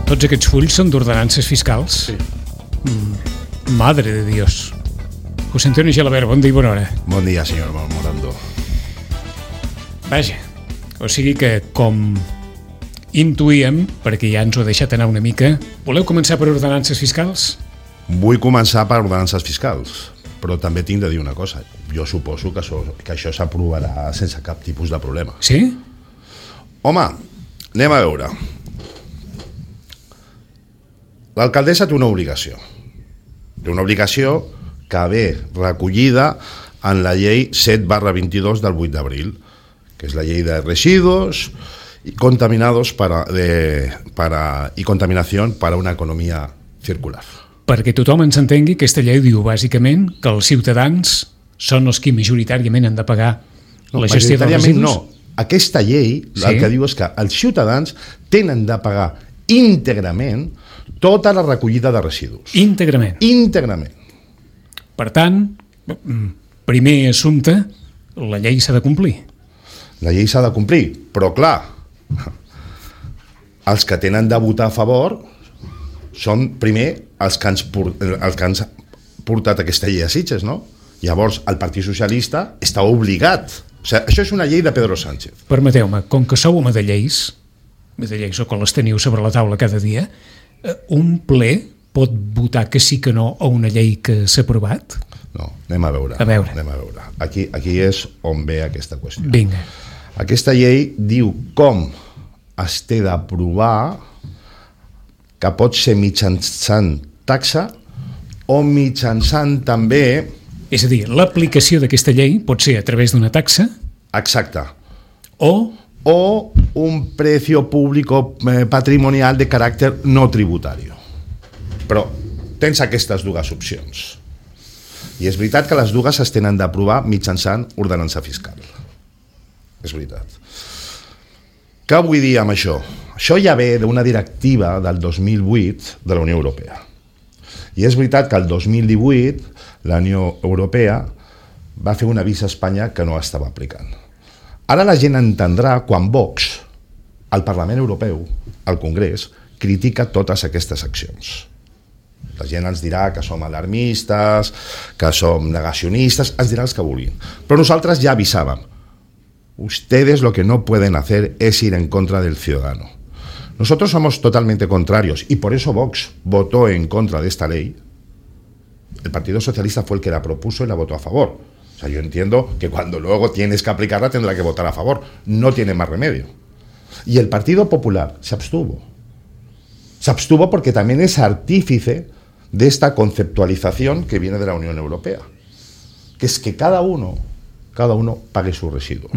Tots aquests fulls són d'ordenances fiscals? Sí. Madre de Dios. José Antonio Gelabert, bon dia i bona hora. Bon dia, senyor Morando. Vaja, o sigui que, com intuïem, perquè ja ens ho ha deixat anar una mica, voleu començar per ordenances fiscals? Vull començar per ordenances fiscals, però també tinc de dir una cosa. Jo suposo que això s'aprovarà sense cap tipus de problema. Sí? Home, anem a veure. L'alcaldessa té una obligació. Té una obligació que ve recollida en la llei 7/22 del 8 d'abril, que és la llei de residuos y contaminados y contaminación para una economía circular. Perquè tothom ens entengui, aquesta llei diu bàsicament que els ciutadans són els qui majoritàriament han de pagar la gestió dels residus. No, aquesta llei el que diu és que els ciutadans tenen de pagar íntegrament tota la recollida de residus. Íntegrament. Íntegrament. Per tant, primer assumpte, la llei s'ha de complir. La llei s'ha de complir, però clar, els que tenen de votar a favor són primer els que han portat aquesta llei a Sitges, no? Llavors, el Partit Socialista està obligat. O sigui, això és una llei de Pedro Sánchez. Permeteu-me, com que sou home de lleis o que les teniu sobre la taula cada dia, un ple pot votar que sí que no a una llei que s'ha aprovat? No, anem a veure. Anem a veure. Aquí és on ve aquesta qüestió. Vinga. Aquesta llei diu com es té d'aprovar, que pot ser mitjançant taxa o mitjançant també... És a dir, l'aplicació d'aquesta llei pot ser a través d'una taxa... Exacte. O un precio público patrimonial de caràcter no tributari. Però tens aquestes dues opcions. I és veritat que les dues es tenen d'aprovar mitjançant ordenança fiscal. És veritat. Què vull dir amb això? Això ja ve d'una directiva del 2008 de la Unió Europea. I és veritat que el 2018 la Unió Europea va fer un avís a Espanya que no estava aplicant. Ara la gent entendrà quan Vox, al Parlament Europeu, al Congrés, critica totes aquestes accions. La gent ens dirà que som alarmistes, que som negacionistes, ens dirà els que vulguin. Però nosaltres ja avisàvem. Ustedes lo que no pueden hacer es ir en contra del ciudadano. Nosotros somos totalmente contrarios y por eso Vox votó en contra de esta ley. El Partido Socialista fue el que la propuso y la votó a favor. O sea, yo entiendo que cuando luego tienes que aplicarla tendrá que votar a favor. No tiene más remedio. Y el Partido Popular se abstuvo. Se abstuvo porque también es artífice de esta conceptualización que viene de la Unión Europea, que es que cada uno pague sus residuos.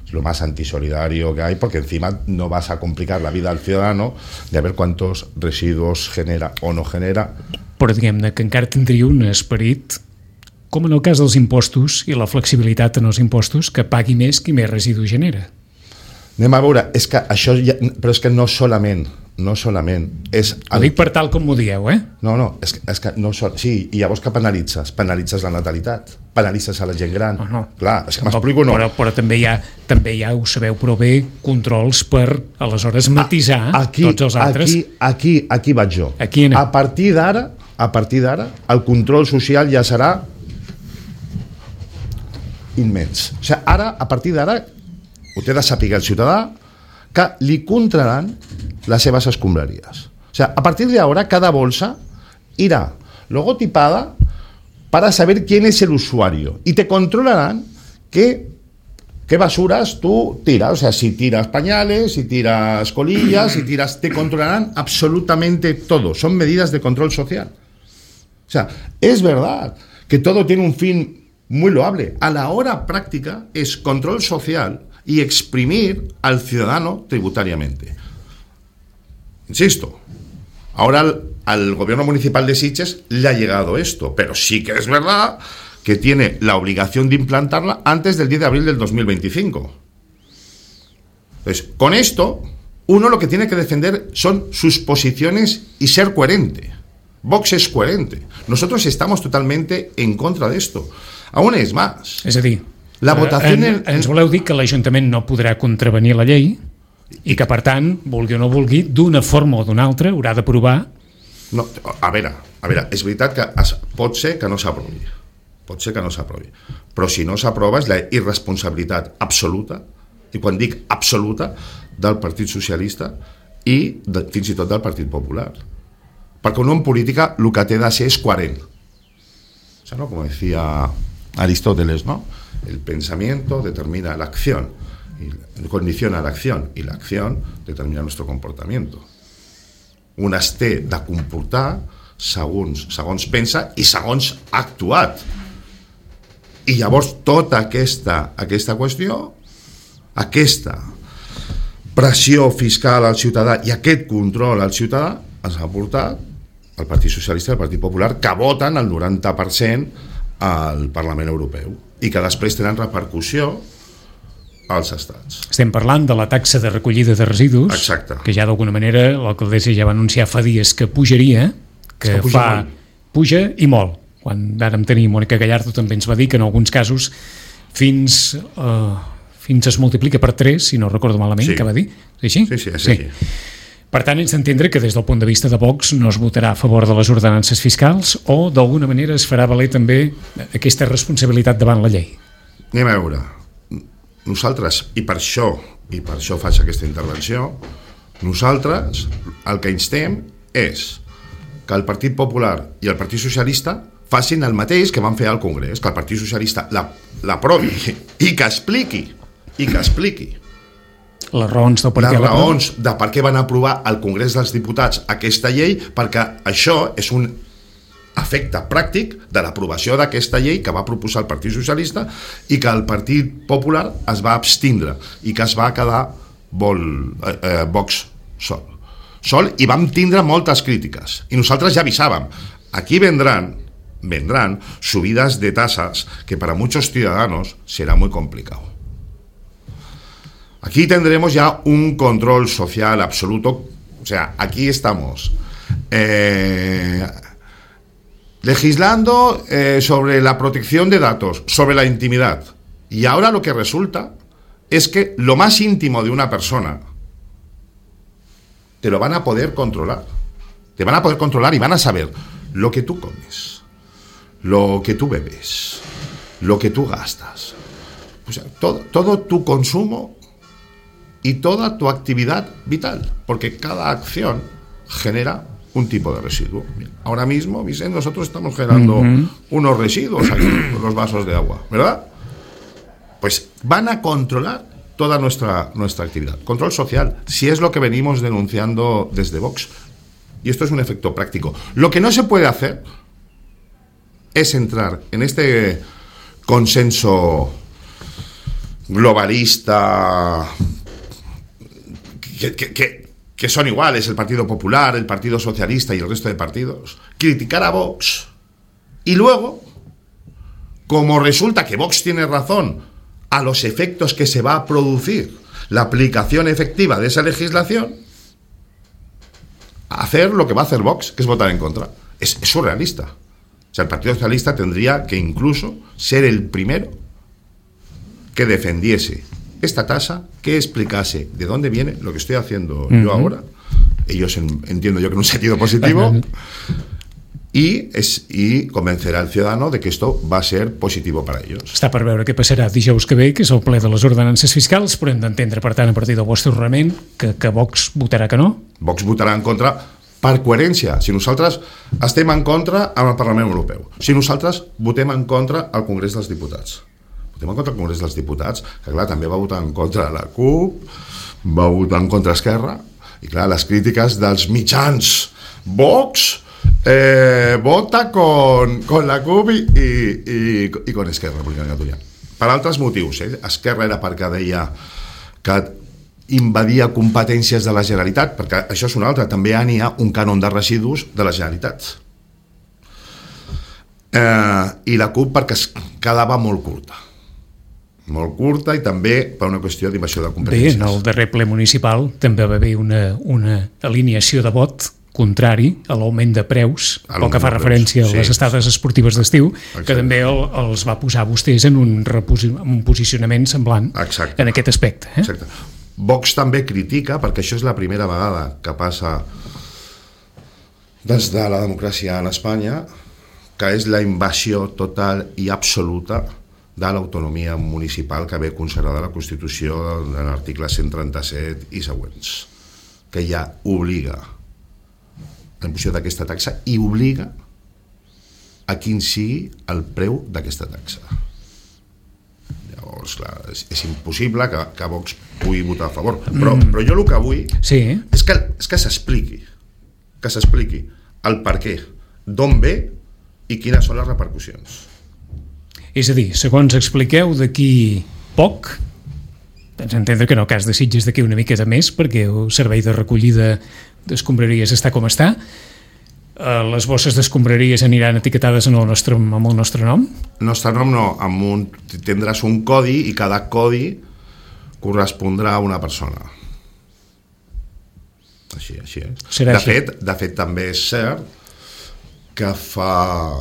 Es lo más antisolidario que hay, porque encima no vas a complicar la vida al ciudadano de ver cuántos residuos genera o no genera. Però diguem-ne que encara tindria un esperit, com en el cas dels impostos i la flexibilitat en els impostos, que pagui més qui més residus genera. Anem a veure, és que això ja, però és que no solament és... Ho dic per tal com m'ho dieu, eh? No, és que no sí, i llavors què penalitzes? Penalitzes la natalitat, penalitzes a la gent gran. No. Clar, és que m'explico, no. Però també hi ha, ho sabeu prou bé, controls per, aleshores, matisar tots els altres. Aquí vaig jo. Aquí anem. A partir d'ara, el control social ja serà immens. O sigui, ara, a partir d'ara, ho té de saber el ciutadà que li contraran las seves escombraries. O sea, a partir de ahora cada bolsa irá logotipada para saber quién es el usuario y te controlarán qué basuras tú tiras. O sea, si tiras pañales, si tiras colillas, te controlarán absolutamente todo. Son medidas de control social. O sea, es verdad que todo tiene un fin muy loable. A la hora práctica es control social y exprimir al ciudadano tributariamente. Insisto, ahora al gobierno municipal de Sitges le ha llegado esto, pero sí que es verdad que tiene la obligación de implantarla antes del 10 de abril del 2025. Entonces, con esto, uno lo que tiene que defender son sus posiciones y ser coherente. Vox es coherente. Nosotros estamos totalmente en contra de esto. Aún es más. És a dir, la votació ens voleu dir que l'Ajuntament no podrà contravenir la llei? I que, per tant, vulgui o no vulgui, d'una forma o d'una altra, haurà d'aprovar... No, a veure, és veritat que pot ser que no s'aprovi. Pot ser que no s'aprovi. Però si no s'aprova és la irresponsabilitat absoluta, i quan dic absoluta, del Partit Socialista i fins i tot del Partit Popular. Perquè un en política el que té de ser és coherent. O sea, ¿no? Como decía Aristóteles, ¿no? El pensamiento determina la acción, y condiciona la acción, y la acción determina nuestro comportamiento. Un es té de comportar segons pensa i segons ha actuat. I llavors tota aquesta qüestió, aquesta pressió fiscal al ciutadà i aquest control al ciutadà ens ha portat el Partit Socialista i el Partit Popular, que voten el 90% al Parlament Europeu i que després tenen repercussió als estats. Estem parlant de la taxa de recollida de residus. Exacte. Que ja d'alguna manera l'alcaldessa ja va anunciar fa dies que pujaria, que puja i molt. Quan vàrem tenir Mònica Gallardo també ens va dir que en alguns casos fins es multiplica per 3, si no recordo malament, sí. Que va dir. És així? Sí, és així. Per tant, ens d'entendre que des del punt de vista de Vox no es votarà a favor de les ordenances fiscals o d'alguna manera es farà valer també aquesta responsabilitat davant la llei. Anem a veure. Nosaltres, i per això faig aquesta intervenció, nosaltres el que instem és que el Partit Popular i el Partit Socialista facin el mateix que van fer al Congrés, que el Partit Socialista l'aprovi i que expliqui les raons de per què van aprovar al Congrés dels Diputats aquesta llei, perquè això és un efecte pràctic de l'aprovació d'aquesta llei que va proposar el Partit Socialista i que el Partit Popular es va abstindre i que es va quedar Vox sol i vam tindre moltes crítiques i nosaltres ja avisàvem, aquí vendrán subidas de tasas que para muchos ciudadanos será muy complicado. Aquí tendremos ya un control social absoluto, o sea, aquí estamos legislando sobre la protección de datos, sobre la intimidad, y ahora lo que resulta es que lo más íntimo de una persona te lo van a poder controlar, y van a saber lo que tú comes, lo que tú bebes, lo que tú gastas, o sea, todo tu consumo y toda tu actividad vital, porque cada acción genera un tipo de residuo. Ahora mismo, Vicente, nosotros estamos generando unos residuos aquí, los vasos de agua, ¿verdad? Pues van a controlar toda nuestra actividad. Control social, si es lo que venimos denunciando desde Vox. Y esto es un efecto práctico. Lo que no se puede hacer es entrar en este consenso globalista que son iguales el Partido Popular, el Partido Socialista y el resto de partidos, criticar a Vox y luego, como resulta que Vox tiene razón a los efectos que se va a producir la aplicación efectiva de esa legislación, hacer lo que va a hacer Vox, que es votar en contra. Es surrealista. O sea, el Partido Socialista tendría que incluso ser el primero que defendiese esta tasa, que explicase de dónde viene lo que estoy haciendo yo ahora, ellos entiendo yo que en un sentido positivo, y convencerà el ciudadano de que esto va a ser positivo para ellos. Està per veure què passarà dijous que ve, que és el ple de les ordenances fiscals, però hem d'entendre, per tant, a partir del vostre raonament, que Vox votarà que no? Vox votarà en contra per coherència. Si nosaltres estem en contra amb el Parlament Europeu, si nosaltres votem en contra al Congrés dels Diputats, votem en contra al Congrés dels Diputats, que clar, també va votar en contra la CUP, va votar en contra Esquerra, i clar, les crítiques dels mitjans Vox vota con la CUP i con Esquerra Republicana Catalunya. Per altres motius, Esquerra era perquè deia que invadia competències de la Generalitat, perquè això és una altra, també n'hi ha un cànon de residus de la Generalitat. I la CUP perquè es quedava molt curta i també per una qüestió d'invasió de competències. Bé, en el darrer ple municipal també va haver una alineació de vot contrari a l'augment de preus, pel que fa referència a les estades esportives d'estiu, que també els va posar vostès en un posicionament semblant en aquest aspecte. Exacte. Vox també critica, perquè això és la primera vegada que passa des de la democràcia en Espanya, que és la invasió total i absoluta de l'autonomia municipal que ve consagrada a la Constitució en l'article 137 i següents, que ja obliga la imposició d'aquesta taxa i obliga a quin sigui el preu d'aquesta taxa. Llavors, clar, és impossible que Vox pugui votar a favor, però jo el que vull és que s'expliqui el per què, d'on ve i quines són les repercussions. És a dir, segons expliqueu, d'aquí poc, tens a entendre que en el cas de Sitges d'aquí una miqueta més, perquè el servei de recollida d'escombraries està com està, les bosses d'escombraries aniran etiquetades amb el nostre nom? El nostre nom no, tindràs un codi i cada codi correspondrà a una persona. Així és. De fet, també és cert que fa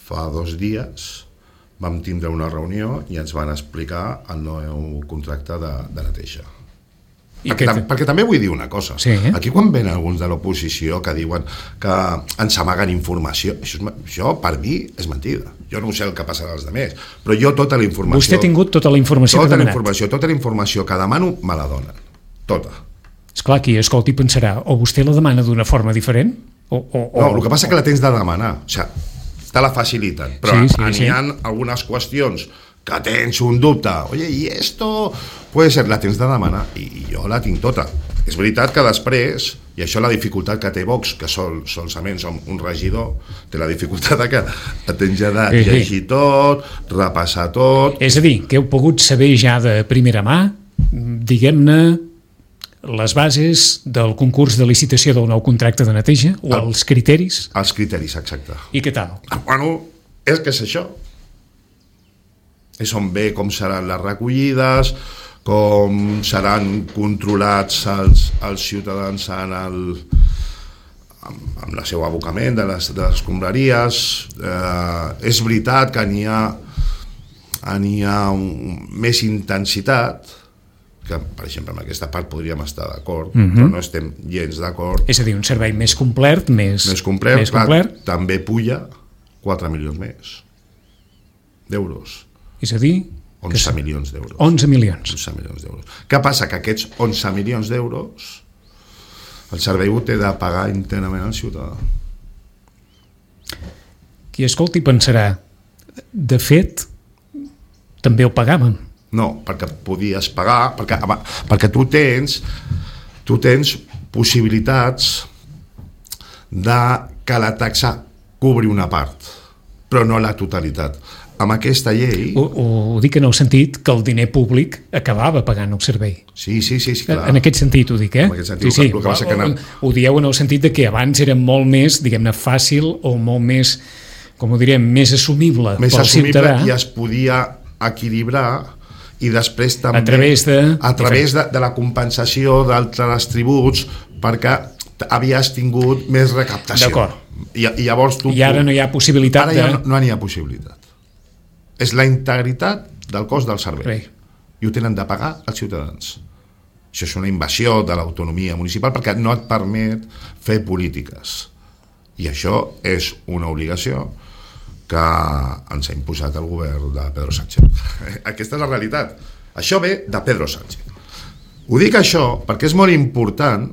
2 dies vam tindre una reunió i ens van explicar el nou contracte de neteja. Perquè també vull dir una cosa. Aquí quan venen alguns de l'oposició que diuen que ens amaguen informació, això per mi és mentida. Jo no sé el que passarà als altres, però jo tota la informació... Vostè ha tingut tota la informació que ha demanat? Tota la informació que demano me la donen. Tota. Esclar, qui escolti pensarà, o vostè la demana d'una forma diferent? No, el que passa és que la tens de demanar. O sigui, te la faciliten, però n'hi ha algunes qüestions que tens un dubte, oye, i esto puede ser, la tens de demanar, i jo la tinc tota. És veritat que després, i això la dificultat que té Vox, que solament som un regidor, té la dificultat que tens ja de llegir tot, repassar tot... És a dir, que heu pogut saber ja de primera mà, diguem-ne, les bases del concurs de licitació del nou contracte de neteja, o els criteris? Els criteris, exacte. I què tal? Bueno, és que és això. És on ve com seran les recollides, com seran controlats els ciutadans amb el seu abocament de les escombraries. És veritat que n'hi ha més intensitat, que per exemple en aquesta part podríem estar d'acord, però no estem gens d'acord. És a dir, un servei més complet, més complet. També puja 4 milions més d'euros. És a dir... 11 milions d'euros. 11 milions. 11 milions d'euros. Què passa? Que aquests 11 milions d'euros el servei ho té de pagar íntegrament al ciutadà. Qui escolti pensarà, de fet, també ho pagàvem. No, perquè podies pagar, perquè tu tens possibilitats de que la taxa cobri una part, però no la totalitat. Amb aquesta llei... Ho dic en el sentit que el diner públic acabava pagant el servei. Sí, clar. En aquest sentit ho dic, En aquest sentit, sí. El que passa que ho dieu en el sentit de que abans era molt més, diguem-ne, fàcil o molt més, com ho direm, més assumible pel ciutadà. I es podia equilibrar i després també a través de la compensació d'altres tributs, perquè havies tingut més recaptació. D'acord. I llavors I ara no hi ha possibilitat Ara ja no n'hi ha possibilitat. És la integritat del cost del servei. I ho tenen de pagar els ciutadans. Això és una invasió de l'autonomia municipal perquè no et permet fer polítiques. I això és una obligació que ens ha imposat el govern de Pedro Sánchez. Aquesta és la realitat. Això ve de Pedro Sánchez. Ho dic això perquè és molt important,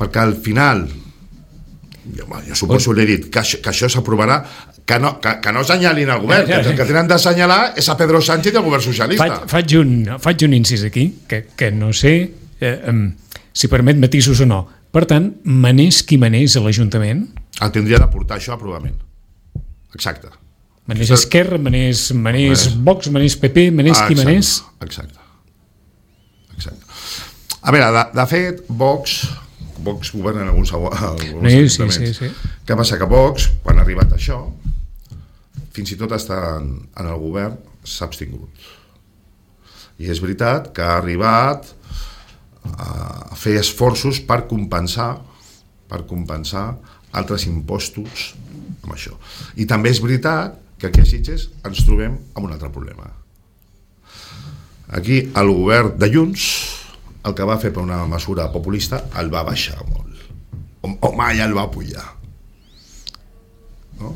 perquè al final, jo suposo l'he dit, que això s'aprovarà, que no assenyalin el govern, que el que tenen d'assenyalar és a Pedro Sánchez i el govern socialista. Faig un incís aquí, que no sé si permet matisos o no. Per tant, manés qui manés a l'Ajuntament... El tindria de portar això a aprovament. Exacte. Manés Esquerra, manés Vox, manés PP, manés qui manés... Exacte. A veure, de fet, Vox governa en alguns ajuntaments. Sí. Què passa? Que Vox, quan ha arribat això, fins i tot està en el govern, s'ha abstingut. I és veritat que ha arribat a fer esforços per compensar altres impostos amb això. I també és veritat que aquí a Sitges ens trobem amb un altre problema. Aquí el govern de Junts, el que va fer per una mesura populista, el va baixar molt, o mai el va pujar, no?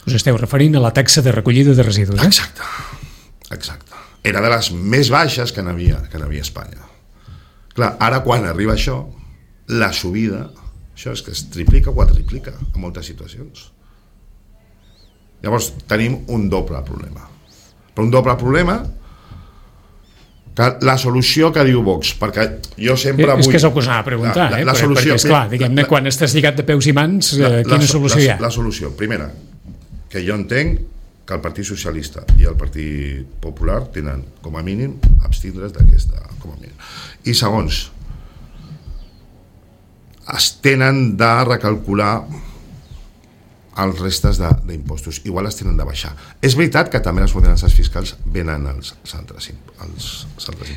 Us esteu referint a la taxa de recollida de residus, eh? Exacte. Era de les més baixes que n'havia a Espanya. Clar, ara quan arriba això, la subida, això és que es triplica o quadriplica en moltes situacions. Llavors tenim un doble problema. Però un doble problema que la solució que diu Vox, perquè jo sempre vull... És que és el que us anava a preguntar, la solució, perquè esclar, diguem-ne, quan estàs lligat de peus i mans, quina solució hi ha? La solució, primera, que jo entenc que el Partit Socialista i el Partit Popular tenen, com a mínim, abstindre's d'aquesta, com a mínim. I segons, es tenen de recalcular els restes d'impostos, igual es tenen de baixar. És veritat que també les ordenances fiscals venen als altres impostos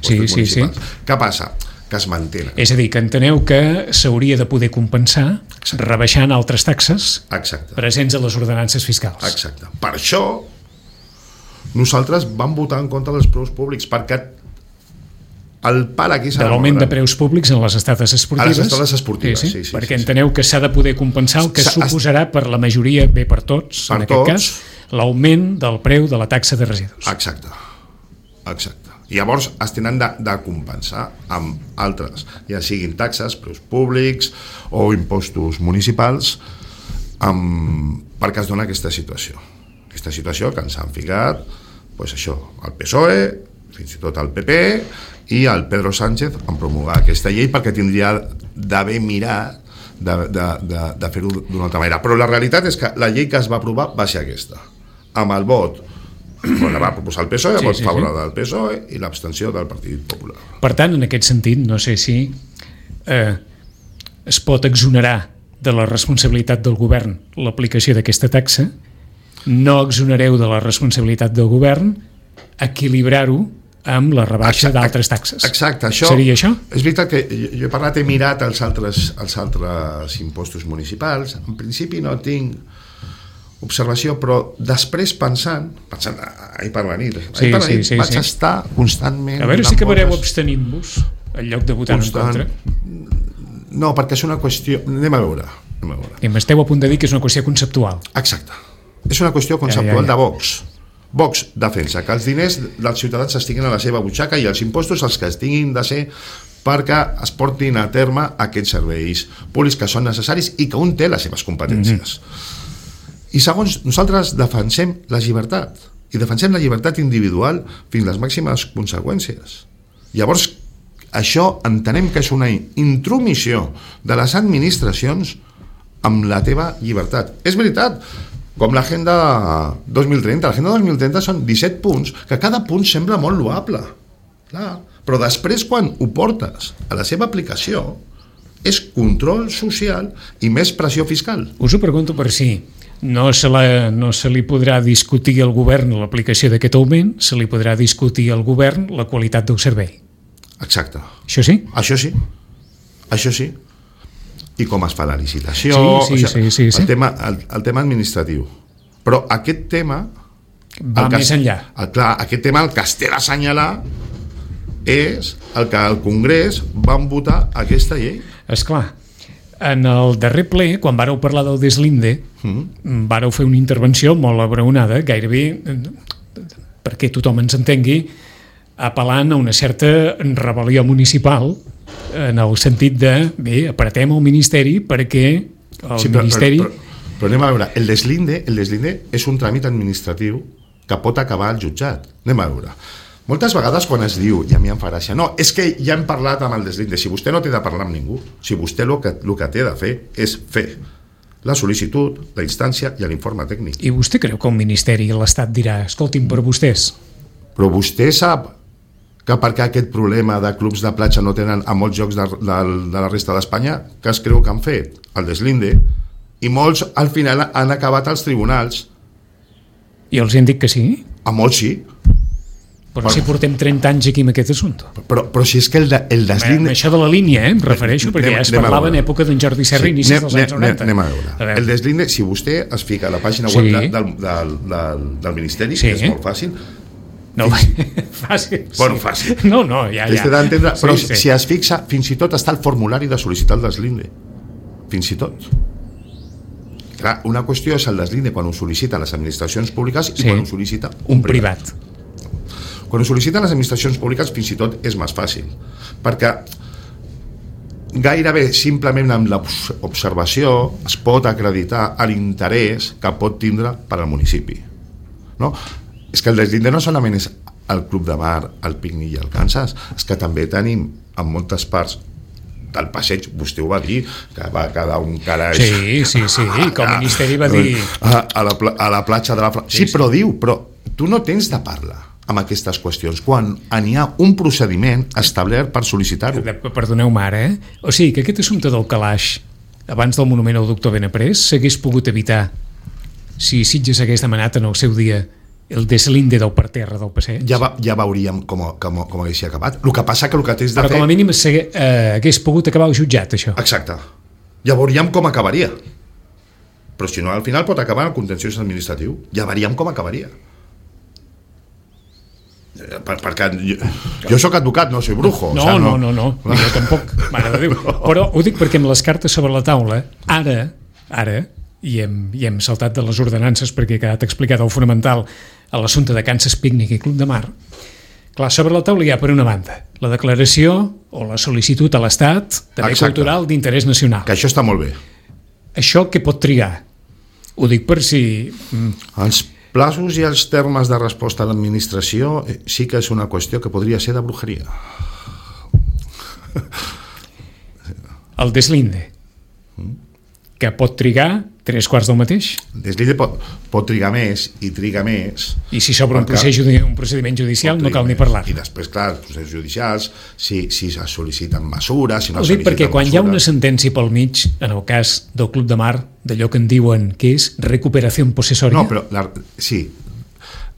municipals. Què passa? Que es mantenen. És a dir, que enteneu que s'hauria de poder compensar rebaixant altres taxes presents a les ordenances fiscals. Exacte. Per això nosaltres vam votar en contra dels preus públics, perquè el pal aquí serà de l'augment de preus públics en les estades esportives. A les estades esportives, sí. Perquè enteneu que s'ha de poder compensar el que suposarà per la majoria, bé per tots, en aquest cas, l'augment del preu de la taxa de residus. Exacte. I llavors es tenen de compensar amb altres, ja siguin taxes, preus públics o impostos municipals, perquè es dona aquesta situació. Aquesta situació que ens han ficat, doncs això, el PSOE, fins i tot el PP i el Pedro Sánchez en promulgar aquesta llei, perquè tindria d'haver mirat de fer-ho d'una altra manera. Però la realitat és que la llei que es va aprovar va ser aquesta, amb el vot la va proposar el PSOE, el vot favorable del PSOE i l'abstenció del Partit Popular. Per tant, en aquest sentit, no sé si es pot exonerar de la responsabilitat del govern l'aplicació d'aquesta taxa, no exonereu de la responsabilitat del govern equilibrar-ho amb la rebaixa d'altres taxes. Exacte, això seria això? És veritat que jo he parlat, he mirat els altres impostos municipals. En principi no tinc observació, però després pensant ahir per la nit vaig estar constantment... A veure si acabareu abstenint-vos en lloc de votar en contra. No, perquè és una qüestió... Anem a veure. I m'esteu a punt de dir que és una qüestió conceptual. Exacte. És una qüestió conceptual de Vox. Vox defensa que els diners dels ciutadans estiguin a la seva butxaca i els impostos els que es tinguin de ser perquè es portin a terme aquests serveis públics que són necessaris i que un té les seves competències. I segons, nosaltres defensem la llibertat, i defensem la llibertat individual fins a les màximes conseqüències. Llavors, això entenem que és una intromissió de les administracions amb la teva llibertat. És veritat, com l'Agenda 2030. L'Agenda 2030 són 17 punts, que cada punt sembla molt loable. Clar, però després, quan ho portes a la seva aplicació, és control social i més pressió fiscal. Us ho pregunto per si no se li podrà discutir al govern l'aplicació d'aquest augment, se li podrà discutir al govern la qualitat del servei. Exacte. Això sí? Això sí. I com es fa la licitació, el tema administratiu. Però aquest tema va més enllà. Clar, aquest tema el que es té d'assenyalar és el que al Congrés van votar aquesta llei. Esclar, en el darrer ple, quan vàreu parlar del deslinde, vàreu fer una intervenció molt abraonada, gairebé, perquè tothom ens entengui, apel·lant a una certa rebel·lió municipal, en el sentit de, bé, apretem el Ministeri perquè el Ministeri... Però anem a veure, el deslinde és un tràmit administratiu que pot acabar al jutjat. Anem a veure. Moltes vegades quan es diu, i a mi em fa gràcia, no, és que ja hem parlat amb el deslinde. Si vostè no té de parlar amb ningú, si vostè el que té de fer és fer la sol·licitud, la instància i l'informe tècnic. I vostè creu que el Ministeri i l'Estat dirà, escolti'm, per vostès? Però vostè sap que perquè aquest problema de clubs de platja no tenen a molts llocs de la resta d'Espanya, que es creu que han fet el deslinde, i molts al final han acabat als tribunals. I els han dit que sí? A molts sí. Però si portem 30 anys aquí amb aquest assumpte. Però si és que el deslinde... Això de la línia, em refereixo, perquè ja es parlava en època d'en Jordi Serra, inicis dels anys 90. Anem a veure. El deslinde, si vostè es fica a la pàgina web del Ministeri, que és molt fàcil, No, fàcil. Bueno, fàcil. No, ja. Però si es fixa, fins i tot està el formulari de sol·licitar el deslinde. Fins i tot. Clar, una qüestió és el deslinde quan ho sol·licita les administracions públiques i quan ho sol·licita un privat. Quan ho sol·liciten les administracions públiques fins i tot és més fàcil, perquè gairebé simplement amb l'observació es pot acreditar l'interès que pot tindre per al municipi. No? És que el deslinde no solament és el Club de Mar, el Pícnic i el Kansas, és que també tenim en moltes parts del passeig, vostè ho va dir, que va quedar un calaix. Sí, com el Ministeri va dir... A la platja de la... Sí, però diu, però tu no tens de parlar amb aquestes qüestions quan n'hi ha un procediment establert per sol·licitar-ho. Perdoneu-me ara, O sigui, que aquest assumpte del calaix abans del monument al doctor Benaprés s'hagués pogut evitar si Sitges hagués demanat en el seu dia el deslinde del parterre del passeig. Ja veuríem com hagués acabat. El que passa que el que tens de fer... Però com a mínim hagués pogut acabar al jutjat, això. Exacte. Ja veuríem com acabaria. Però si no, al final pot acabar el contenciós administratiu. Ja veuríem com acabaria. Perquè jo soc advocat, no soy brujo. No, jo tampoc, mare de Déu. Però ho dic perquè amb les cartes sobre la taula, ara i hem saltat de les ordenances perquè ha quedat explicat el fonamental a l'assumpte de Kansas Pícnic i Club de Mar. Clar, sobre la taula hi ha, per una banda, la declaració o la sol·licitud a l'Estat de bé cultural d'interès nacional. Que això està molt bé. Això què pot trigar? Ho dic per si... Els plaços i els termes de resposta a l'administració sí que és una qüestió que podria ser de brujeria. El deslinde, que pot trigar 3/4 del mateix. Deslinde pot trigar més i triga més. I si s'obre un procediment judicial no cal ni parlar. I després, clar, els processos judicials, si es sol·liciten mesures... Si no ho dic perquè quan hi ha una sentència pel mig, en el cas del Club de Mar, d'allò que en diuen que és recuperació possessòria... No, però sí.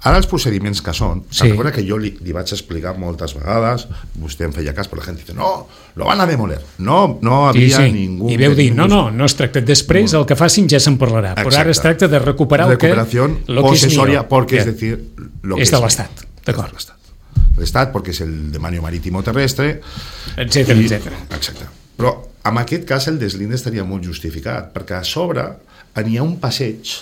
Ara els procediments que són, recorda que jo li vaig explicar moltes vegades, vostè em feia cas, però la gent dice, no, lo van a demoler. No havia ningú... I veu dir, no es tracta. Després el que facin ja se'n parlarà, però ara es tracta de recuperar el que és possessoria, porque es decir, lo que és de l'Estat. D'acord. L'Estat, perquè és el demanio marítimo terrestre, etcètera. Exacte. Però en aquest cas el deslinde estaria molt justificat, perquè a sobre n'hi ha un passeig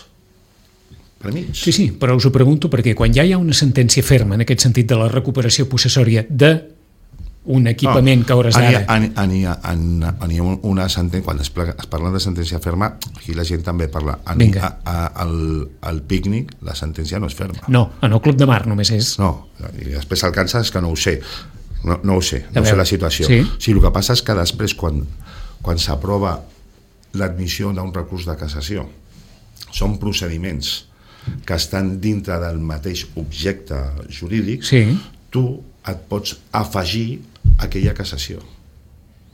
Sí, però us ho pregunto perquè quan ja hi ha una sentència ferma en aquest sentit de la recuperació possessòria d'un equipament que a hores d'ara... N'hi ha una sentència, quan es parla de sentència ferma, aquí la gent també parla. Al Pícnic la sentència no és ferma. No, en el Club de Mar només és... No, i després el Kansas és que no ho sé. No ho sé la situació. Sí, el que passa és que després quan s'aprova l'admissió d'un recurs de cassació són procediments que estan dintre del mateix objecte jurídic, tu et pots afegir aquella cassació.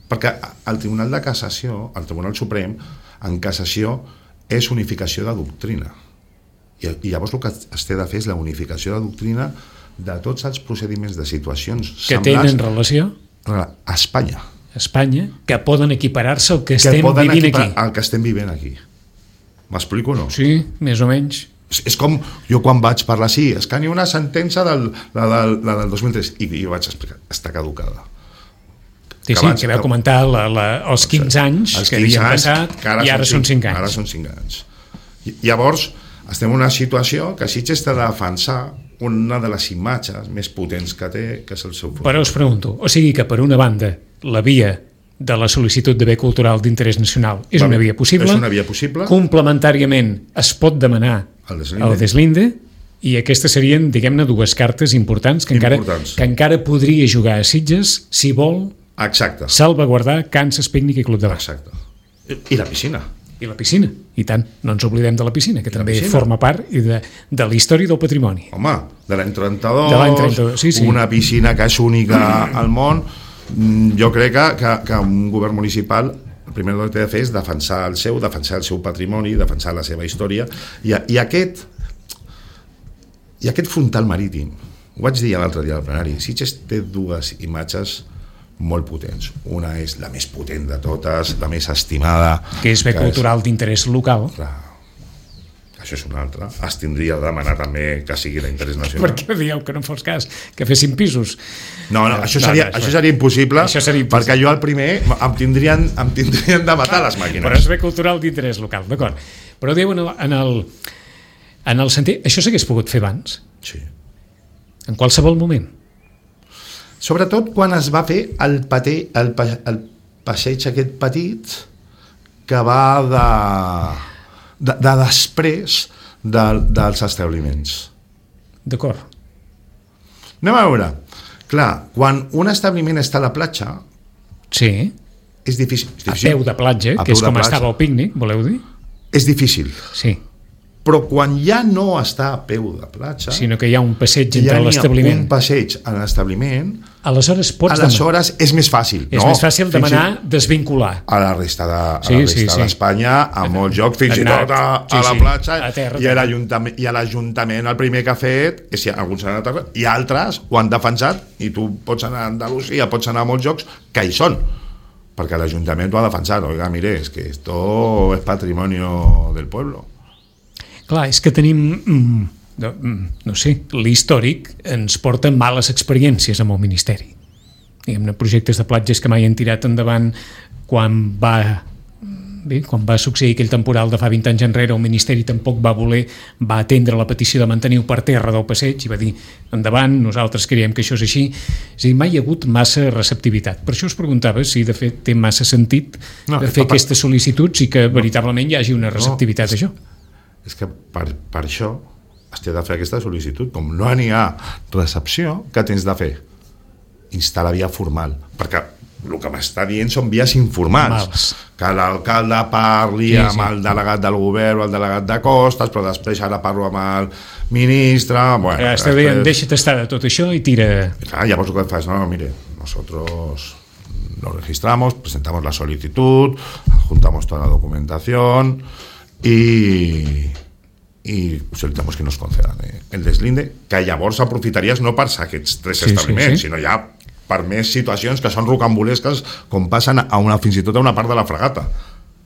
Perquè el Tribunal de Cassació, el Tribunal Suprem, en cassació és unificació de doctrina. I llavors el que es té de fer és la unificació de doctrina de tots els procediments de situacions que tenen relació a Espanya. Que poden equiparar-se al que estem vivint aquí. Al que estem vivint aquí. M'explico o no? Sí, més o menys. És com jo quan vaig parlar, és que n'hi ha una sentència del 2003 i jo vaig explicar, està caducada. Que vau comentar els 15 anys que havien passat i ara són 5 anys. Ara són 5 anys. Llavors estem en una situació que Sitges té de defensar una de les imatges més potents que té, que és el seu futur. Però us pregunto, o sigui que per una banda la via de la sol·licitud de bé cultural d'interès nacional és una via possible. És una via possible. Complementàriament es pot demanar el deslinde i aquestes serien, diguem-ne, dues cartes importants que encara podria jugar a Sitges si vol salvaguardar Kansas Pícnic i Club de Mar. Exacte. I la piscina. I la piscina, i tant, no ens oblidem de la piscina, que també forma part de la història del patrimoni. Home, de l'any 32, una piscina que és única al món. Jo crec que un govern municipal el primer que té de fer és defensar el seu patrimoni, defensar la seva història i aquest frontal marítim, ho vaig dir l'altre dia al plenari, Sitges té dues imatges molt potents. Una és la més potent de totes, la més estimada, que és bé cultural d'interès local, això és una altra, es tindria de demanar també que sigui d'interès nacional. Per què dieu que no fos cas? Que fessin pisos? No, això seria impossible, perquè jo al primer em tindrien de matar les màquines. Però és bé cultural d'interès local, d'acord. Però diu en el sentit... Això s'hagués pogut fer abans? Sí. En qualsevol moment? Sobretot quan es va fer el passeig aquest petit que va de després dels establiments. D'acord. Anem a veure. Clar, quan un establiment està a la platja... Sí. És difícil. A peu de platja, que és com estava al pícnic, voleu dir? És difícil. Sí. Però quan ja no està a peu de platja... Sinó que hi ha un passeig entre l'establiment... Hi ha un passeig a l'establiment... Aleshores és més fàcil. És més fàcil demanar desvincular. A la resta d'Espanya, a molts jocs, fins i tot a la platja, i a l'Ajuntament el primer que ha fet, és si alguns han anat, i altres ho han defensat, i tu pots anar a Andalusia, pots anar a molts jocs que hi són, perquè l'Ajuntament ho ha defensat. Oiga, mire, es que esto es patrimonio del pueblo. Clar, és que tenim, no sé, l'històric ens porta males experiències amb el Ministeri. Diguem-ne, projectes de platges que mai han tirat endavant quan va succeir aquell temporal de fa 20 anys enrere, el Ministeri tampoc va atendre la petició de mantenir-ho per terra del passeig i va dir, endavant, nosaltres creiem que això és així. És a dir, mai hi ha hagut massa receptivitat. Per això us preguntava si de fet té massa sentit fer aquestes sol·licituds i que veritablement hi hagi una receptivitat a això. És que per això has de fer aquesta sol·licitud. Com no n'hi ha recepció, què tens de fer? Instal·lar via formal, perquè el que m'està dient són vies informals. Que l'alcalde parli amb el delegat del govern o el delegat de costes, però després ara parlo amb el ministre... Està dient, deixa't estar de tot això i tira... Llavors el que fas, no, mire, nosotros lo registramos, presentamos la solicitud, adjuntamos toda la documentación... i solicitamos que nos concedan el deslinde, que llavors aprofitaries no per aquests 3 establiments, sinó ja per més situacions que són rocambolesques, com passen fins i tot a una part de la fragata.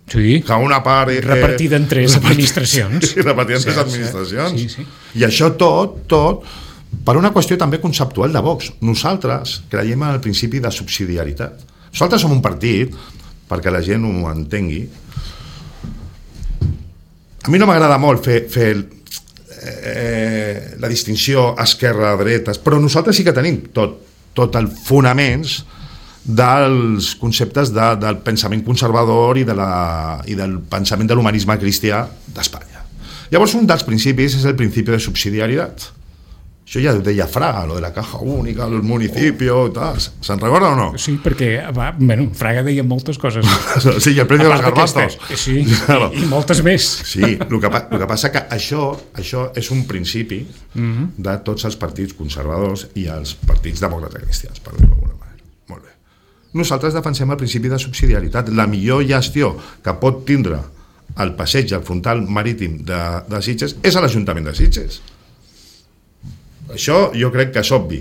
Sí, que una part repartida en 3 administracions. Sí, repartida en 3 administracions. Sí. I això tot per una qüestió també conceptual de Vox. Nosaltres creiem en el principi de subsidiarietat. Nosaltres som un partit, perquè la gent ho entengui. A mi no m'agrada molt fer la distinció esquerra-dretes, però nosaltres sí que tenim tot els fonaments dels conceptes del pensament conservador i del pensament de l'humanisme cristià d'Espanya. Llavors, un dels principis és el principi de subsidiarietat. Això ja ho deia Fraga, lo de la caja única, el municipio, tal. Se'n recorda o no? Sí, perquè, Fraga deia moltes coses. Sí, i el premi dels garbanzos. Sí, i moltes més. Sí, el que passa que això és un principi de tots els partits conservadors i els partits demòcrates cristians, per dir-ho d'alguna manera. Molt bé. Nosaltres defensem el principi de subsidiarietat. La millor gestió que pot tindre el passeig al frontal marítim de Sitges és a l'Ajuntament de Sitges. Això jo crec que és obvi,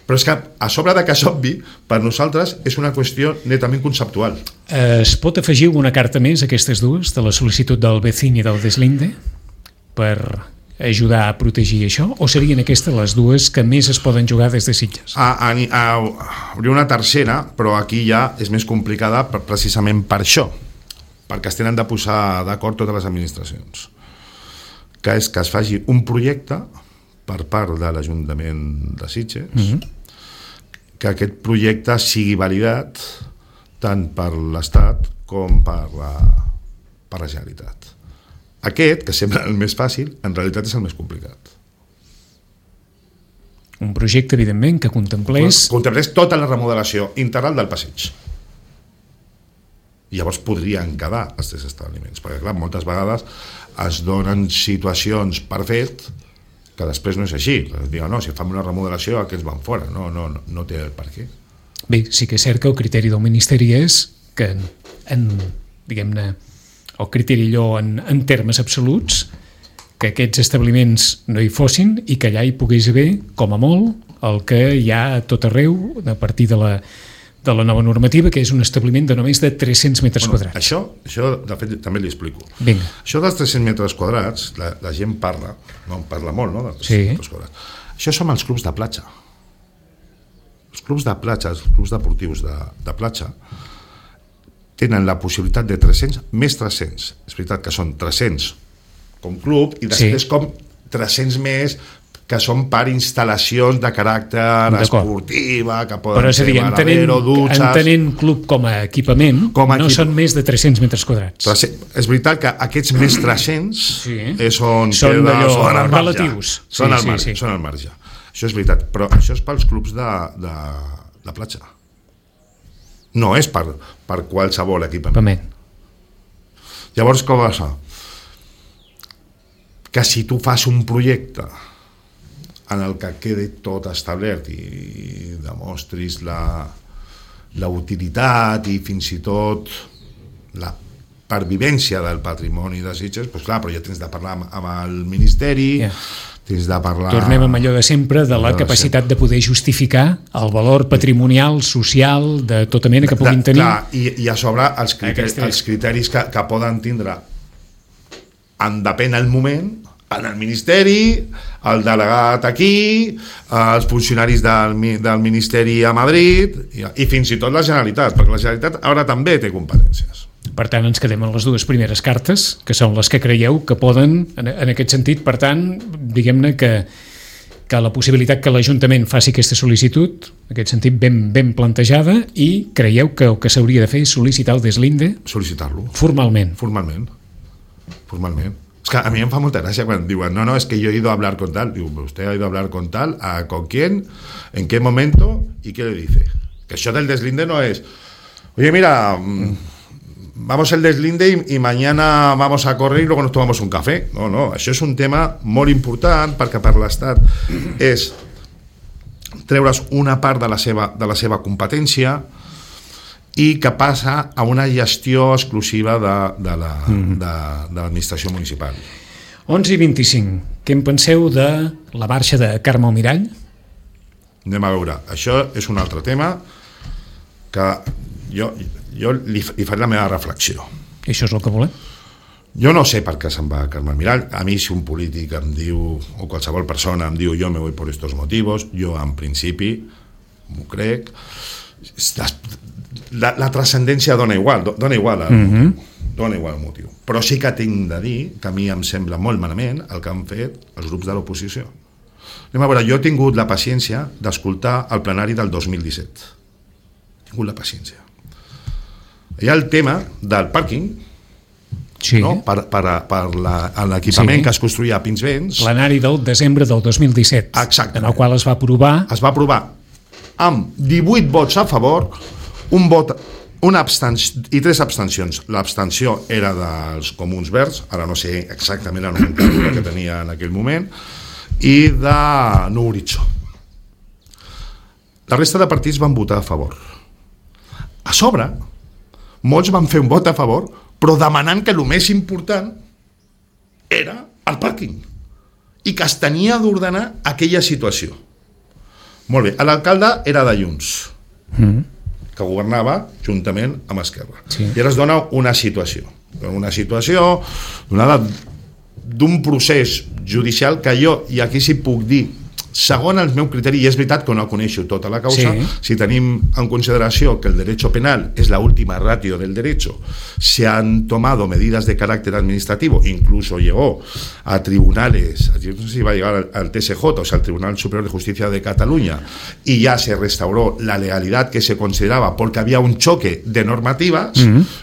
però és que a sobre de que és obvi, per nosaltres és una qüestió netament conceptual. Es pot afegir una carta més a aquestes dues, de la sol·licitud del Vecín i del Deslinde, per ajudar a protegir això, o serien aquestes les dues que més es poden jugar des de Sitges? Hauria una tercera, però aquí ja és més complicada precisament per això, perquè es tenen de posar d'acord totes les administracions, que és que es faci un projecte per part de l'Ajuntament de Sitges, que aquest projecte sigui validat tant per l'Estat com per la Generalitat. Aquest, que sembla el més fàcil, en realitat és el més complicat. Un projecte, evidentment, que contemplés tota la remodelació integral del passeig. I llavors podrien quedar els 3 establiments, perquè clar, moltes vegades es donen situacions per fet que després no és així. Diuen, no, si fem una remodelació aquests van fora, no té el per què. Bé, sí que és cert que el criteri del Ministeri és que diguem-ne, el criteri allò en termes absoluts, que aquests establiments no hi fossin i que allà hi pogués haver, com a molt, el que hi ha a tot arreu, a partir de de la nova normativa, que és un establiment de només de 300 metres quadrats. Això, de fet, també li explico. Vinga. Això dels 300 metres quadrats, la gent parla, no en parla molt, no?, dels 300 metres quadrats. Això són els clubs de platja. Els clubs de platja, els clubs deportius de platja, tenen la possibilitat de 300 més 300. És veritat que són 300 com club i després com 300 més que són per instal·lacions de caràcter esportiva, que poden ser baradero, dutxes... Entenent club com a equipament, no són més de 300 metres quadrats. És veritat que aquests més 300 són relatius. Són al marge. Això és veritat, però això és pels clubs de platja. No és per qualsevol equipament. Llavors, com va ser? Que si tu fas un projecte en el que quedi tot establert i demostris la utilitat i fins i tot la pervivència del patrimoni de Sitges, doncs clar, però ja tens de parlar amb el Ministeri, tens de parlar... Tornem amb allò de sempre, de la capacitat de poder justificar el valor patrimonial, social, de tota mena que puguin tenir. Clar, i a sobre els criteris que poden tindre depèn el moment, en el Ministeri, el delegat aquí, els funcionaris del Ministeri a Madrid i fins i tot la Generalitat, perquè la Generalitat ara també té competències. Per tant, ens quedem en les dues primeres cartes, que són les que creieu que poden, en aquest sentit, per tant, diguem-ne que la possibilitat que l'Ajuntament faci aquesta sol·licitud, en aquest sentit ben plantejada, i creieu que el que s'hauria de fer és sol·licitar el deslinde? Sol·licitar-lo. Formalment. Es que a mí me fa molta gracia cuando digan, no, es que yo he ido a hablar con tal. Digo, ¿usted ha ido a hablar con tal? ¿Con quién? ¿En qué momento? ¿Y qué le dice? Que això del deslinde no es, oye, mira, vamos el deslinde y mañana vamos a correr y luego nos tomamos un café. No, això és un tema molt important perquè per l'Estat és treure's una part de la seva competència i que passa a una gestió exclusiva de l'administració municipal. 11:25. Què en penseu de la marxa de Carme Almirall? Anem a veure. Això és un altre tema que jo li faré la meva reflexió. Això és el que volem? Jo no sé per què se'n va Carme Almirall. A mi, si un polític em diu, o qualsevol persona em diu, jo me voy por estos motivos, jo en principi m'ho crec. La transcendència dona igual el motiu. Però sí que tinc de dir que a mi em sembla molt malament el que han fet els grups de l'oposició. Anem a veure, jo he tingut la paciència d'escoltar el plenari del 2017. He tingut la paciència. Hi ha el tema del pàrquing, no? per l'equipament que es construïa a Pinsbens. Plenari del desembre del 2017. Exacte. En el qual es va aprovar amb 18 vots a favor, un vot, una abstenció i 3 abstencions. L'abstenció era dels Comuns Verds, ara no sé exactament la nomenclatura que tenia en aquell moment, i de Nou Horitzó. La resta de partits van votar a favor. A sobre, molts van fer un vot a favor, però demanant que el més important era el pàrquing i que es tenia d'ordenar aquella situació. Molt bé, l'alcalde era de Junts, que governava juntament amb Esquerra. Sí. I ara es dona una situació donada d'un procés judicial que jo, i aquí sí puc dir, segons el meu criteri, i és veritat que no coneixo tota la causa, si tenim en consideració que el derecho penal es la última ratio del derecho, se han tomado medidas de carácter administrativo, incluso llegó a tribunales, yo no sé si va a llegar al TSJ, o sea, al Tribunal Superior de Justicia de Cataluña, y ya se restauró la legalidad que se consideraba porque había un choque de normativas,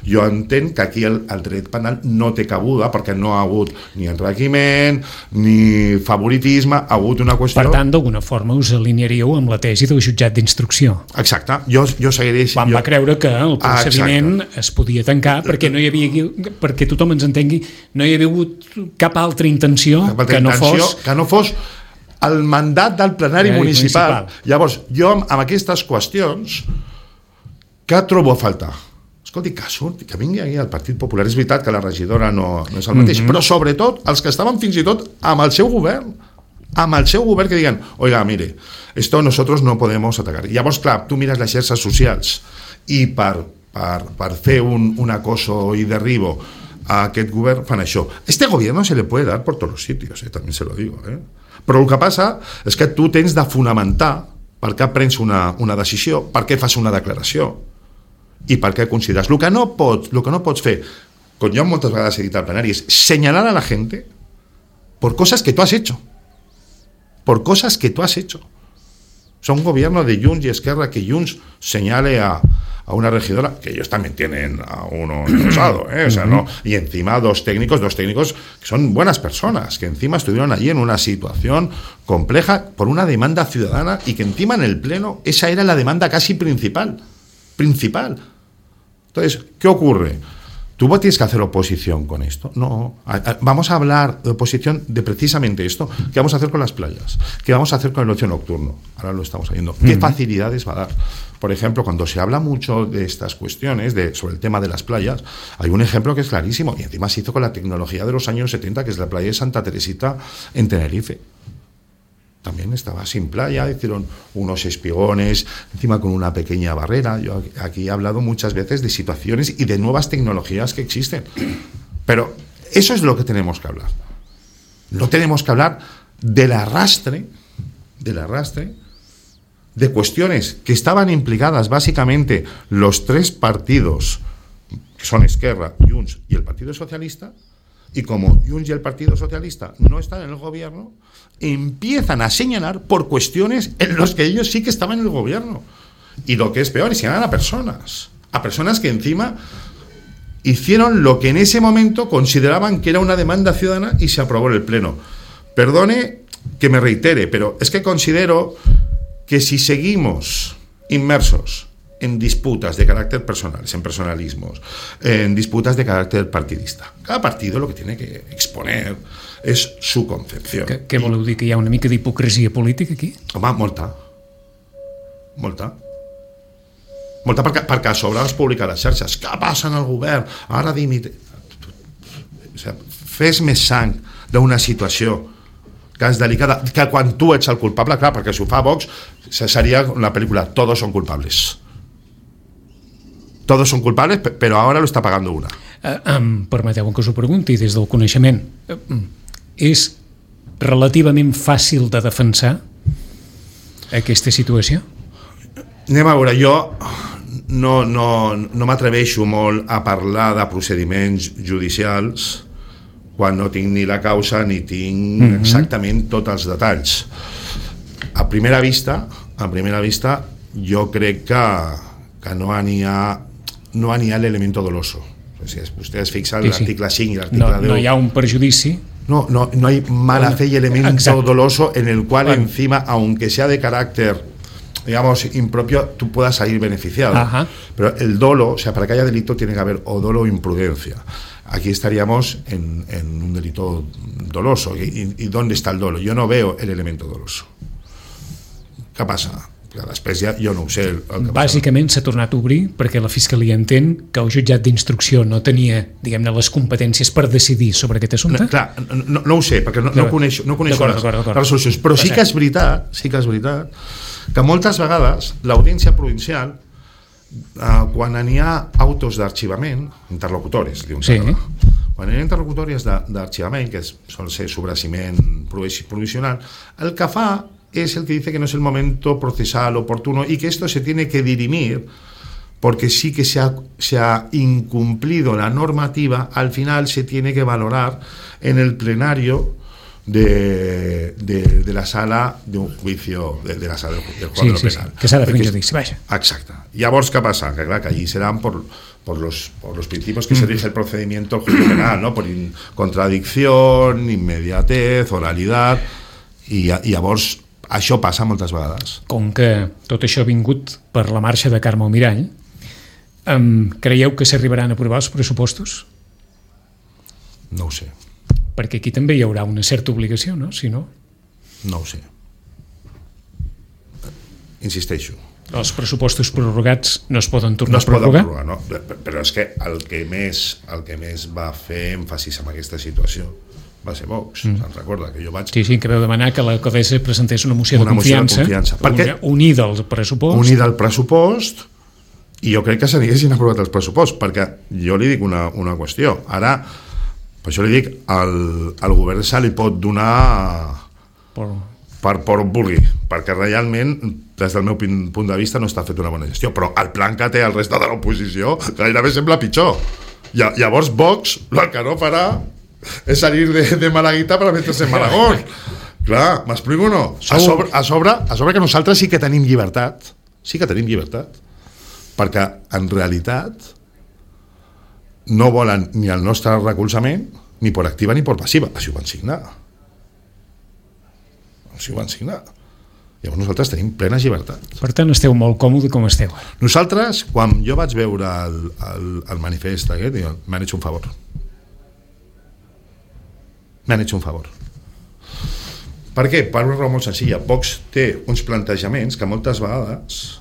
jo entenc que aquí el dret penal no té cabuda perquè no ha hagut ni enriquiment ni favoritisme, ha hagut una qüestió... Per tant, d'alguna forma us alinearíeu amb la tesi del jutjat d'instrucció. Exacte. Jo seguiré... Quan va creure que el procediment es podia tancar perquè no hi havia, perquè tothom ens entengui, no hi havia hagut cap altra intenció que no fos el mandat del plenari municipal. Llavors, jo amb aquestes qüestions què trobo a faltar? Escolti, que vingui aquí el Partit Popular. És veritat que la regidora no és el mateix, però sobretot els que estaven fins i tot amb el seu govern, amb el seu govern que diguen, oiga, mire, esto nosotros no podemos atacar. I llavors, clar, tu mires les xarxes socials i per fer un acoso i derribo a aquest govern fan això. Este gobierno se le puede dar por todos los sitios, también se lo digo. Però el que passa és que tu tens de fonamentar per què prens una decisió, per què fas una declaració i per què consideres. El que no pots fer, com jo moltes vegades he dit al plenari, és señalar a la gente por cosas que tú has hecho. Por cosas que tú has hecho. O sea, un gobierno de Junts y Esquerra que Junts señale a una regidora, que ellos también tienen a uno impulsado, o sea, ¿no? Y encima dos técnicos que son buenas personas, que encima estuvieron allí en una situación compleja por una demanda ciudadana y que encima en el pleno esa era la demanda casi principal. Entonces, ¿qué ocurre? ¿Tú tienes que hacer oposición con esto? No. Vamos a hablar de oposición de precisamente esto. ¿Qué vamos a hacer con las playas? ¿Qué vamos a hacer con el ocio nocturno? Ahora lo estamos viendo. ¿Qué facilidades va a dar? Por ejemplo, cuando se habla mucho de estas cuestiones, sobre el tema de las playas, hay un ejemplo que es clarísimo, y encima se hizo con la tecnología de los años 70, que es la playa de Santa Teresita en Tenerife. También estaba sin playa, hicieron unos espigones, encima con una pequeña barrera. Yo aquí he hablado muchas veces de situaciones y de nuevas tecnologías que existen. Pero eso es de lo que tenemos que hablar. No tenemos que hablar del arrastre de cuestiones que estaban implicadas básicamente los tres partidos, que son Esquerra, Junts y el Partido Socialista, y como Junts y el Partido Socialista no están en el gobierno, empiezan a señalar por cuestiones en las que ellos sí que estaban en el gobierno. Y lo que es peor, señalan a personas que encima hicieron lo que en ese momento consideraban que era una demanda ciudadana y se aprobó en el Pleno. Perdone que me reitere, pero es que considero que si seguimos inmersos en disputas de carácter personal, en personalismos, en disputas de carácter partidista. Cada partido lo que tiene que exponer és su concepció. Què voleu dir, que hi ha una mica d'hipocresia política aquí? Home, molta, perquè a sobre has publicat les xarxes. Què passa en el govern? Ara dimite. O sigui, fes més sang d'una situació que és delicada, que quan tu ets el culpable, clar, perquè si ho fa Vox seria la pel·lícula Todos son culpables. Todos son culpables, però ara lo està pagando una. Permeteu que us ho pregunti des del coneixement. És relativament fàcil de defensar aquesta situació? Anem a veure, jo no m'atreveixo molt a parlar de procediments judicials quan no tinc ni la causa ni tinc exactament tots els detalls. A primera vista, jo crec que no n'hi ha l'elemento doloso. Si vostè es fixa en l'article 5 i l'article 10... No hi ha un perjudici. No hay mala fe y elemento doloso en el cual encima, aunque sea de carácter, digamos, impropio, tú puedas salir beneficiado. Ajá. Pero el dolo, o sea, para que haya delito tiene que haber o dolo o imprudencia. Aquí estaríamos en un delito doloso. ¿Y dónde está el dolo? Yo no veo el elemento doloso. ¿Qué pasa? Després ja jo no ho sé. Bàsicament s'ha tornat a obrir perquè la Fiscalia entén que el jutjat d'instrucció no tenia, diguem-ne, les competències per decidir sobre aquest assumpte? Clar, no ho sé, perquè no coneixo les resolucions, però sí que és veritat que moltes vegades l'audiència provincial, quan n'hi ha autos d'arxivament, interlocutores, quan hi ha interlocutòries d'arxivament, que sol ser sobraciment provisional, el que fa es el que dice que no es el momento procesal oportuno y que esto se tiene que dirimir porque sí que se ha incumplido la normativa. Al final se tiene que valorar en el plenario de la sala de un juicio de la sala del juicio penal. Que s'ha de fer un judici, vaja. Exacte. Llavors, què passa? Que clar, que allí serán por los principios que se rige el procedimiento del juicio penal, ¿no? Por contradicción, inmediatez, oralidad, i llavors això passa moltes vegades. Com que tot això ha vingut per la marxa de Carme Almirall, creieu que s'arribaran a aprovar els pressupostos? No ho sé. Perquè aquí també hi haurà una certa obligació, no? Si no... No ho sé. Insisteixo. Els pressupostos prorrogats no es poden tornar a prorrogar? No es poden prorrogar, no. Però és que el que més va fer èmfasis en aquesta situació va ser Vox, se'n recorda que jo vaig... Sí, que veu demanar que l'alcaldessa presentés una moció de confiança. Unida al pressupost. Unida al pressupost, i jo crec que s'haguessin aprovat els pressuposts, perquè jo li dic una qüestió. Ara, per això li dic, al govern se li pot donar per on vulgui, perquè realment, des del meu punt de vista, no està fet una bona gestió, però el plan que té el resta de l'oposició gairebé sembla pitjor. Llavors Vox el que no farà és salir de Malaguita per metre-se en Malagón. Clar, m'explico o no? A sobre que nosaltres sí que tenim llibertat, perquè en realitat no volen ni el nostre recolzament ni per activa ni per passiva. Així ho van signar. Llavors nosaltres tenim plenes llibertats. Per tant, esteu molt còmode com esteu. Nosaltres, quan jo vaig veure el manifest aquest, m'han hecho un favor. Per què? Per una raó molt senzilla. Vox té uns plantejaments que moltes vegades,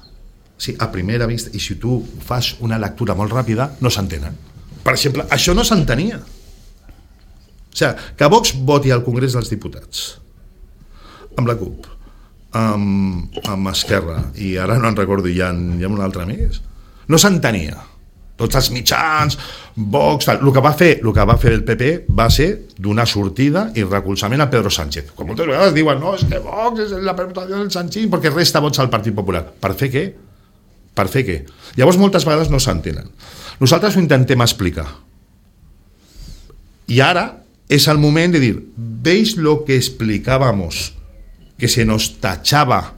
a primera vista, i si tu fas una lectura molt ràpida, no s'entenen. Per exemple, això no s'entenia. O sigui, que Vox voti al Congrés dels Diputats amb la CUP, amb Esquerra, i ara no en recordo, hi ha un altre més, no s'entenia. Tots els mitjans, Vox, el que va fer el PP va ser donar sortida i recolzament a Pedro Sánchez. Com moltes vegades diuen, no, és que Vox és la permutació del Sánchez perquè resta vots al Partit Popular. Per fer què? Llavors moltes vegades no s'entenen. Nosaltres ho intentem explicar. Y ahora es el momento de decir, ¿veis lo que explicábamos? Que se nos tachaba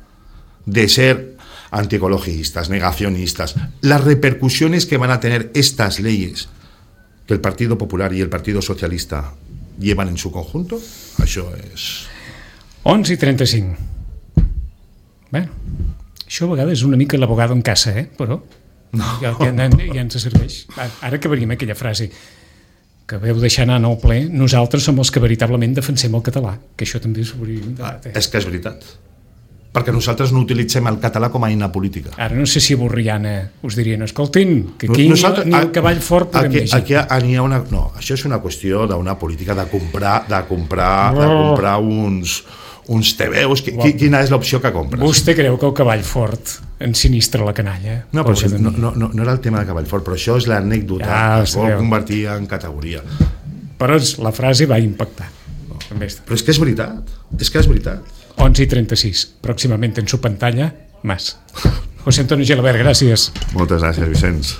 de ser antiecologistas, negacionistas, las repercusiones que van a tener estas leyes que el Partido Popular y el Partido Socialista llevan en su conjunto. Això és... 11:35. Bé, això a vegades és una mica l'abogado en casa, però no. Ja ens serveix. Ara acabaríem aquella frase que veu deixar anar en el ple, nosaltres som els que veritablement defensem el català, que això també s'hauria de... És que és veritat, perquè nosaltres no utilitzem el català com a eina política. Ara no sé si a Borriana us dirien, escoltin, que aquí ni el cavall fort podem llegir. Aquí n'hi ha una... No, això és una qüestió d'una política de comprar uns tebeus. Quina és l'opció que compres? Vostè creu que el cavall fort ensinistra la canalla? No, però no era el tema de cavall fort, però això és l'anècdota, es vol convertir en categoria. Però la frase va impactar. Però és que és veritat, 11:36, pròximament en su pantalla, Mas. José Antonio Gelabert, gràcies. Moltes gràcies, Vicenç.